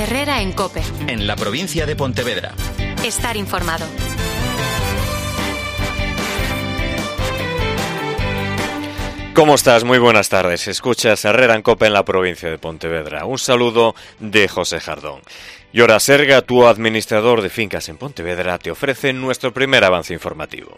Herrera en COPE. En la provincia de Pontevedra. Estar informado. ¿Cómo estás? Muy buenas tardes. Escuchas Herrera en COPE en la provincia de Pontevedra. Un saludo de José Jardón. Y ahora Serga, tu administrador de fincas en Pontevedra, te ofrece nuestro primer avance informativo.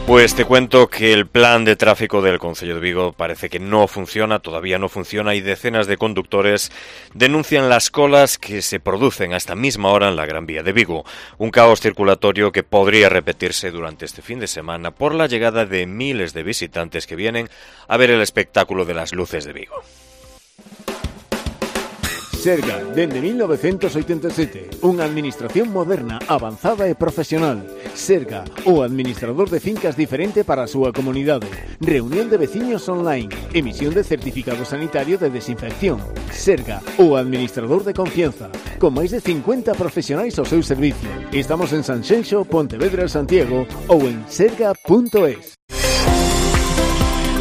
Pues te cuento que el plan de tráfico del Concello de Vigo parece que no funciona, todavía no funciona, y decenas de conductores denuncian las colas que se producen a esta misma hora en la Gran Vía de Vigo. Un caos circulatorio que podría repetirse durante este fin de semana por la llegada de miles de visitantes que vienen a ver el espectáculo de las luces de Vigo. Serga, dende 1987, unha administración moderna, avanzada e profesional. Serga, o administrador de fincas diferente para a súa comunidade. Reunión de veciños online, emisión de certificado sanitario de desinfección. Serga, o administrador de confianza, con máis de 50 profesionais ao seu servicio. Estamos en Sanxenxo, Pontevedra, Santiago ou en serga.es.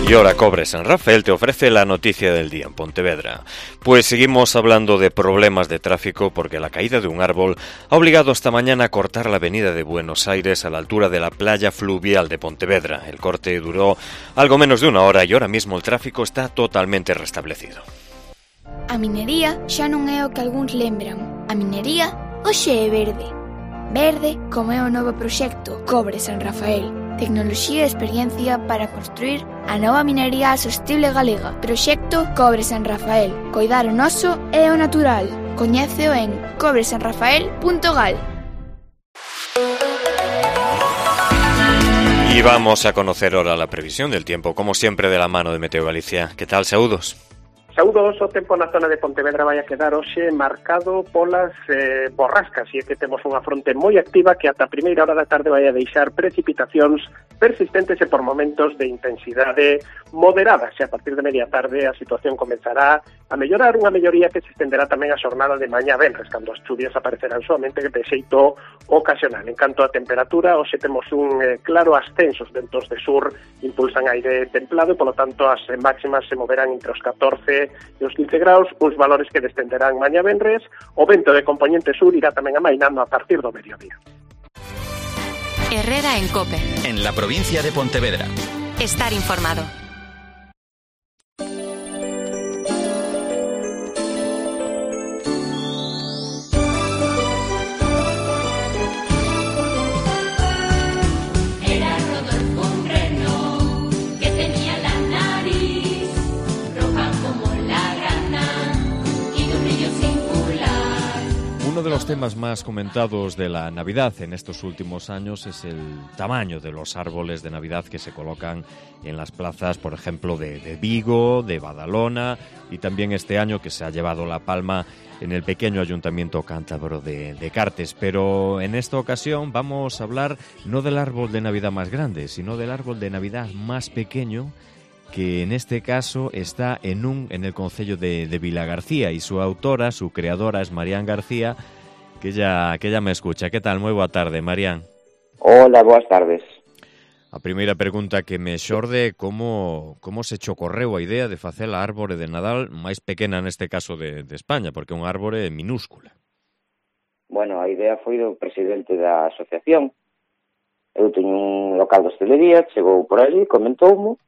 Y ahora Cobre San Rafael te ofrece la noticia del día en Pontevedra. Pues seguimos hablando de problemas de tráfico porque la caída de un árbol ha obligado esta mañana a cortar la avenida de Buenos Aires a la altura de la playa fluvial de Pontevedra. El corte duró algo menos de una hora y ahora mismo el tráfico está totalmente restablecido. A minería xa non é o que algúns lembran. A minería hoxe é verde. Verde como é o novo proxecto Cobre San Rafael. Tecnoloxía e experiencia para construir a nova minería sostible galega. Proxecto Cobre San Rafael. Coidar o noso e o natural. Coñéceo en cobresanrafael.gal. Y vamos a conocer ahora la previsión del tiempo, como siempre de la mano de Meteo Galicia. ¿Qué tal, saúdos? Saúdos, o tempo na zona de Pontevedra vai a quedar hoxe marcado polas borrascas, e é que temos unha fronte moi activa que ata a primeira hora da tarde vai a deixar precipitacións persistentes e por momentos de intensidade moderada. Xa a partir de media tarde a situación comenzará a mellorar, unha melloría que se estenderá tamén a xornada de mañá venres, cando as chuvias aparecerán soamente de xeito ocasional. En canto a temperatura, hoxe temos un claro ascenso, os ventos de sur impulsan aire templado e, polo tanto, as máximas se moverán entre os 14 e os 15 graus, uns valores que descenderán mañá venres. O vento de componente sur irá tamén amainando a partir do mediodía. Herrera en COPE. En la provincia de Pontevedra. Estar informado. Uno de los temas más comentados de la Navidad en estos últimos años es el tamaño de los árboles de Navidad que se colocan en las plazas, por ejemplo, de Vigo, de Badalona, y también este año que se ha llevado la palma en el pequeño ayuntamiento cántabro de Cartes. Pero en esta ocasión vamos a hablar no del árbol de Navidad más grande, sino del árbol de Navidad más pequeño, que en este caso está en el concello de Vilagarcía, y su autora, su creadora, es Marián García, que ya me escucha. Que tal? Moi boa tarde, Marián. Hola, boas tardes. A primeira pregunta que me xorde, como se che ocorreu a idea de facer a árbore de Nadal máis pequena neste caso de España, porque é unha árbore minúscula? Bueno, a idea foi do presidente da asociación. Eu teño un local de hostelería, chegou por ali, comentoumo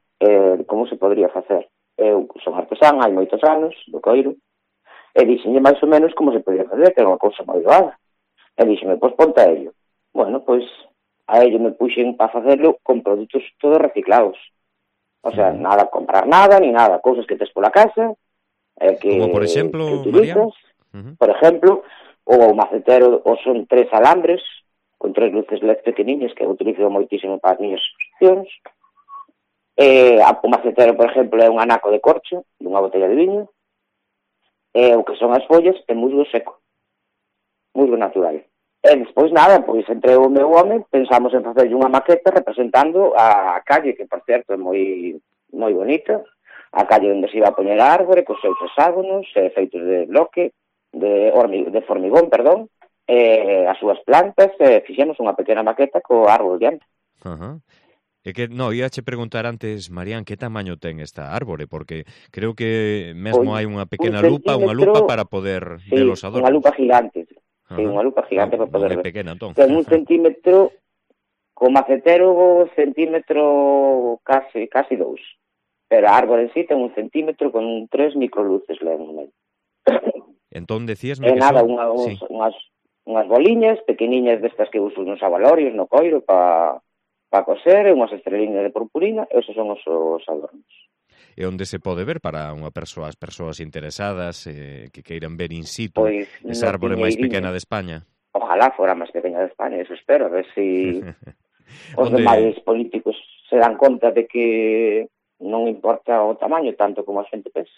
como se podría facer. Eu son artesán, hai moitos anos, do coiro, e dixenlle máis ou menos como se podía facer, que era unha cousa moi doada. E dixenme, pois ponte a ello. Bueno, pois a ello me puxen para facerlo con produtos todos reciclados. O sea, nada, comprar nada, ni nada, cousas que tes pola casa, que, como por exemplo, que utilizas. Por exemplo, o macetero, o son 3 alambres, con 3 luces LED pequeniñas, que eu utilizo moitísimo para as miñas exposicións. O macetero, por exemplo, é un anaco de corcho dunha botella de viño, e o que son as follas é musgo seco, musgo natural. E despois nada, pois entre o meu home pensamos en facer unha maqueta representando a calle, que por certo é moi bonita, a calle onde se iba a poñer a árbore, cos seus hexágonos, feitos de bloque, de formigón, perdón, as súas plantas, fixemos unha pequena maqueta co árbol diante. É que, íache preguntar antes, Marián, que tamaño ten esta árbore, porque creo que mesmo hai unha pequena lupa para poder ver os adornos. Unha lupa gigante. Sí, unha lupa gigante para poder ver. Pequena, entón. Ten 1 centímetro, co macetero centímetro casi 2. Pero a árbore en sí ten 1 centímetro con 3 microluces no medio. Entón decíasme que nada, son... unhas boliñas pequeniñas destas que uso nos abalorios, no coiro, para coser, unhas estreliñas de purpurina, esos son os adornos. E onde se pode ver para as persoas interesadas que queiran ver in situ esa árbore máis pequena de España? Ojalá fora máis pequena de España, eso espero, a ver se os demais políticos se dan conta de que non importa o tamaño tanto como a xente pensa.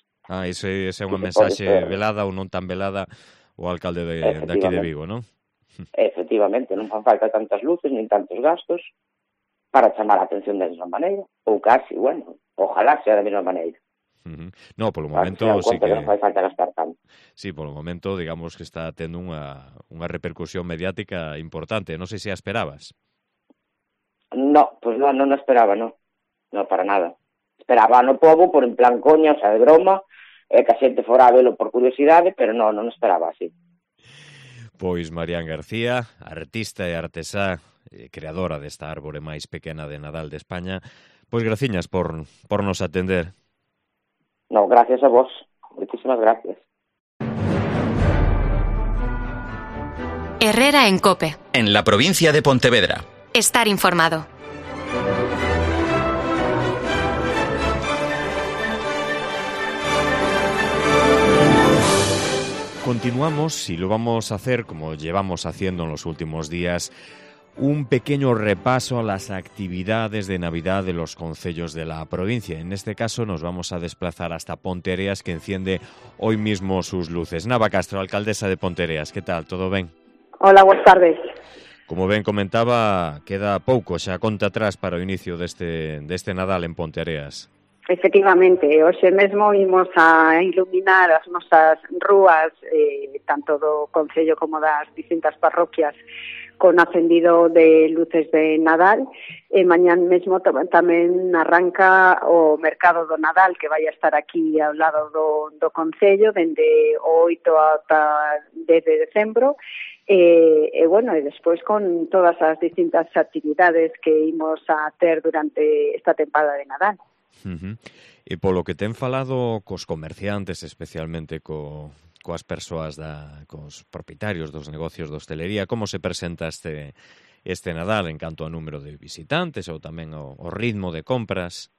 Ese é unha mensaxe velada ou non tan velada o alcalde de aquí de Vigo, non? Efectivamente, non fan falta tantas luces nin tantos gastos para chamar a atención da mesma maneira, ou casi, ojalá sea da mesma maneira. No, polo momento sí que non fai falta gastar tanto. Sí, polo momento, digamos que está tendo unha repercusión mediática importante. Non sei se a esperabas. No, pues non esperaba, no, para nada. Esperaba no pobo por en plan coña, o sea, de broma, que a xente fora a velo por curiosidade, pero non esperaba así. Pois Marián García, artista e artesá, creadora desta árbore máis pequena de Nadal de España, pois graciñas por nos atender. No, gracias a vos. Muchísimas gracias. Herrera en COPE. En la provincia de Pontevedra. Estar informado. Continuamos y lo vamos a hacer como llevamos haciendo en los últimos días, un pequeño repaso a las actividades de Navidad de los concellos de la provincia. En este caso nos vamos a desplazar hasta Ponteareas, que enciende hoy mismo sus luces. Nava Castro, alcaldesa de Ponteareas, ¿qué tal? ¿Todo ben? Hola, buenas tardes. Como ben comentaba, queda pouco xa conta atrás para o inicio deste Nadal en Ponteareas. Efectivamente, hoxe mesmo imos a iluminar as nosas rúas, tanto do concello como das distintas parroquias, con acendido de luces de Nadal, e mañán mesmo tamén arranca o mercado do Nadal, que vai a estar aquí ao lado do concello, dende o 8 ata 10 de decembro, e despois con todas as distintas actividades que imos a ter durante esta tempada de Nadal. E polo que ten falado cos comerciantes, especialmente coas persoas, cos propietarios dos negocios de hostelería, como se presenta este Nadal en canto ao número de visitantes ou tamén ao ritmo de compras?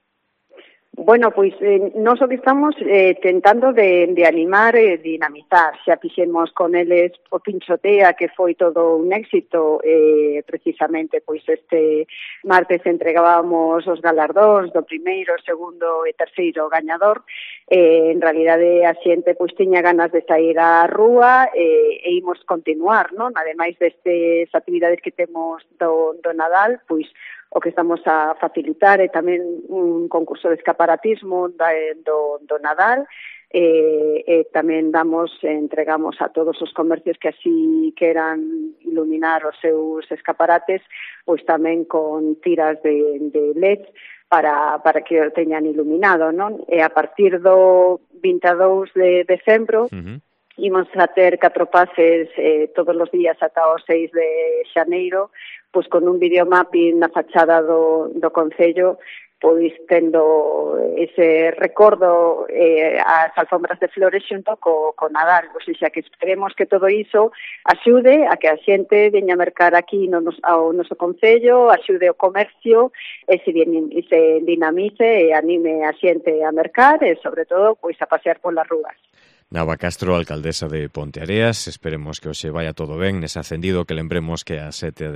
Bueno, pois nós o que estamos tentando de animar e dinamizar. Xa fixemos con eles o Pinchotea, que foi todo un éxito, precisamente pois este martes entregábamos os galardóns do primeiro, segundo e terceiro gañador. En realidade a xente pois tiña ganas de sair á rúa e imos continuar, non? Ademais destas actividades que temos do Nadal, pois o que estamos a facilitar é tamén un concurso de escaparatismo do Nadal, e tamén entregamos a todos os comercios que así queran iluminar os seus escaparates, pois tamén con tiras de LED para que o teñan iluminado, non? E a partir do 22 de decembro, imos a ter 4 pases todos os días ata o 6 de xaneiro, pois con un videomapping na fachada do concello, pois tendo ese recordo as alfombras de flores xunto co Nadal. O sea, que esperemos que todo iso axude a que a xente veña a mercar aquí ao noso concello, axude o comercio e se dinamice e anime a xente a mercar e, sobre todo, pois a pasear polas rúas. Nava Castro, alcaldesa de Ponteareas, esperemos que hoxe vaya todo ben nese acendido, que lembremos que a 7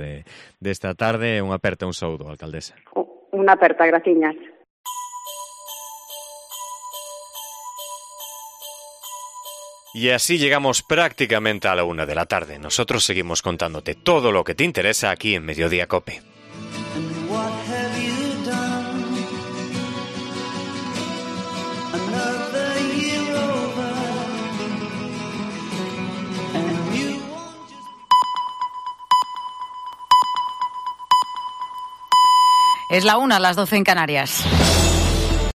desta tarde. Unha aperta, un saúdo, alcaldesa. Unha aperta, graciñas. Y así llegamos prácticamente a la 1 de la tarde. Nosotros seguimos contándote todo lo que te interesa aquí en Mediodía COPE. Es la 1, las 12 en Canarias.